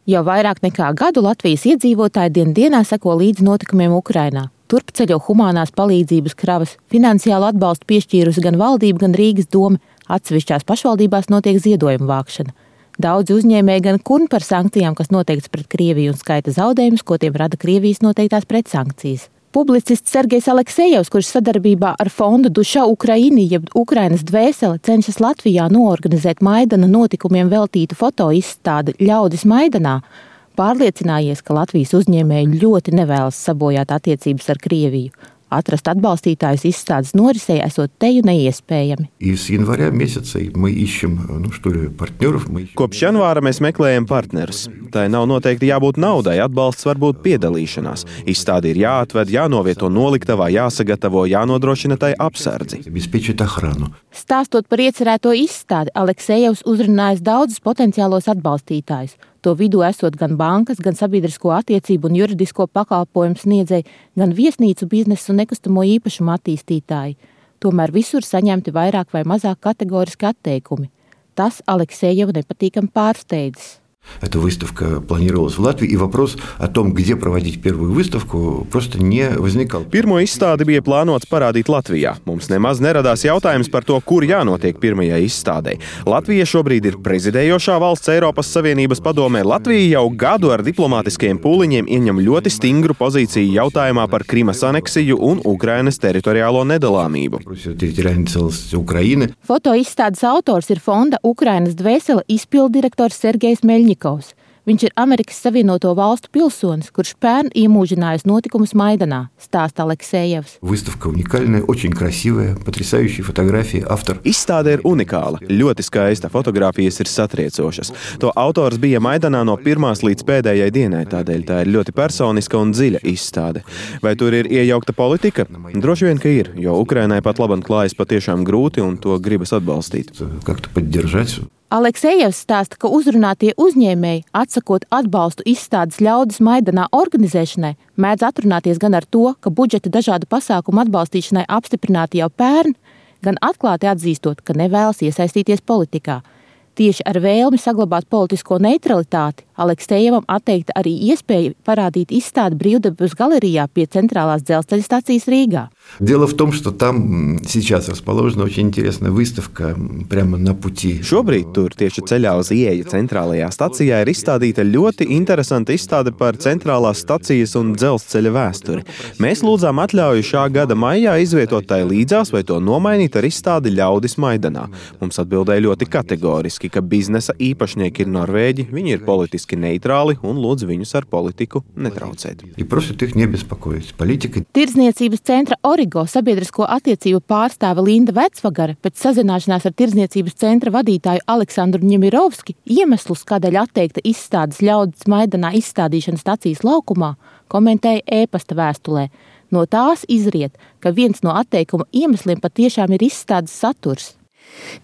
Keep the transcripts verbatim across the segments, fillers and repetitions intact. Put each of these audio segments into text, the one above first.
Jau vairāk nekā gadu Latvijas iedzīvotāji dien dienā seko līdzi notikumiem Ukrainā. Turp ceļo humānās palīdzības kravas, finansiālu atbalstu piešķīrusi gan valdība, gan Rīgas doma, atsevišķās pašvaldībās notiek ziedojuma vākšana. Daudzi uzņēmēji gan kurn par sankcijām, kas noteikts pret Krieviju un skaita zaudējumus, ko tiem rada Krievijas noteiktās pretsankcijas. Publicists Sergejs Aleksejevs, kurš sadarbībā ar fondu Duša Ukraini, jeb Ukrainas dvēsele, cenšas Latvijā noorganizēt Maidana notikumiem veltītu fotoizstādi Ļaudis Maidanā, pārliecinājies, ka Latvijas uzņēmēji ļoti nevēlas sabojāt attiecības ar Krieviju. Atrast atbalstītājus izstādes norisei esot teju neiespējami. Kopš janvāra mēs meklējam partnerus. Tai nav noteikti jābūt naudai, atbalsts var būt piedalīšanās. Izstāde ir jāatved, jānovieto noliktavā, jāsagatavo, jānodrošina tai apsardzi. Stāstot par iecerēto izstādi, Aleksejevs uzrunājis daudzus potenciālos atbalstītājus. To vidū esot gan bankas, gan sabiedrisko attiecību un juridisko pakalpojumu sniedzēji, gan viesnīcu biznesu un nekustamo īpašumu attīstītāji. Tomēr visur saņemti vairāk vai mazāk kategoriski atteikumi. Tas Aleksejeva nepatīkami pārsteidzis. Эта выставка планировалась в Латвии, и вопрос о том, где проводить первую выставку, просто не возникал. Pirmo izstādi bija plānots parādīt Latvijā. Mums nemaz neradās jautājums par to, kur jānotiek pirmajai izstādei. Latvija šobrīd ir prezidējošā valsts Eiropas Savienības padomē. Latvija jau gadu ar diplomātiskajiem pūliņiem ieņem ļoti stingru pozīciju jautājumā par Krimas aneksiju un Ukrainas teritoriālo nedalāmību. Fotoizstādes autors ir fonda Ukrainas dvēsele izpilddirektors Sergejs Meļņikovs. Viņš ir Amerikas Savienoto Valstu pilsonis, kurš pērn iemūžinājis notikumus Maidanā, stāsta Aleksejevs. Izstāde ir unikāla, ļoti skaista, fotogrāfijas ir satriecošas. To autors bija Maidanā no pirmās līdz pēdējai dienai, tādēļ tā ir ļoti personiska un dziļa izstāde. Vai tur ir iejaukta politika? Droši vien, ka ir, jo Ukrainai pat labam klājas patiešām grūti un to gribas atbalstīt. Aleksejevs stāsta, ka uzrunātie uzņēmēji, atsakot atbalstu izstādes Ļaudis Maidanā organizēšanai, mēdz atrunāties gan ar to, ka budžeta dažādu pasākumu atbalstīšanai apstiprināti jau pērn, gan atklāti atzīstot, ka nevēlas iesaistīties politikā. Tieši ar vēlmi saglabāt politisko neutralitāti Aleksejevam atteikta arī iespēja parādīt izstādi Brīvdabas galerijā pie centrālās dzelzceļa stacijas Rīgā. Дело в том, что там сейчас расположена очень интересная выставка прямо на пути. Šobrīd tur tieši ceļā uz ieeju centrālajā stacijā ir izstādīta ļoti interesanta izstāde par centrālās stacijas un dzelzceļa vēsturi. Mēs lūdzām atļauju šā gada maijā izvietot tai līdzās vai to nomainīt ar izstādi Ļaudis Maidanā. Mums atbildēja ļoti kategoriski, ka biznesa īpašnieki ir norvēģi, viņi ir politiski neitrāli un lūdz viņus ar politiku netraucēt. Tirdzniecības centra Origo sabiedrisko attiecību pārstāve Linda Vecvagare pēc sazināšanās ar Tirdzniecības centra vadītāju Aleksandru Ņemirovski iemeslus, kādēļ atteikta izstādes Ļaudis Maidanā izstādīšana stacijas laukumā, komentēja ēpasta vēstulē. No tās izriet, ka viens no atteikuma iemesliem patiešām ir izstādes saturs.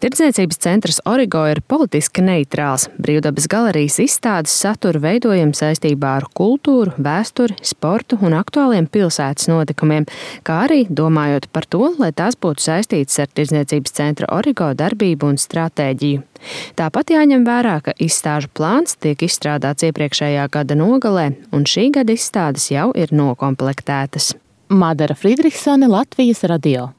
Tirdzniecības centrs Origo ir politiski neitrāls. Brīvdabas galerijas izstādes saturu veidojam saistībā ar kultūru, vēsturi, sportu un aktuāliem pilsētas notikumiem, kā arī domājot par to, lai tās būtu saistītas ar Tirdzniecības centra Origo darbību un stratēģiju. Tāpat jāņem vērā, ka izstāžu plāns tiek izstrādāts iepriekšējā gada nogalē, un šī gada izstādes jau ir nokomplektētas. Madara Friedrichsone, Latvijas radio.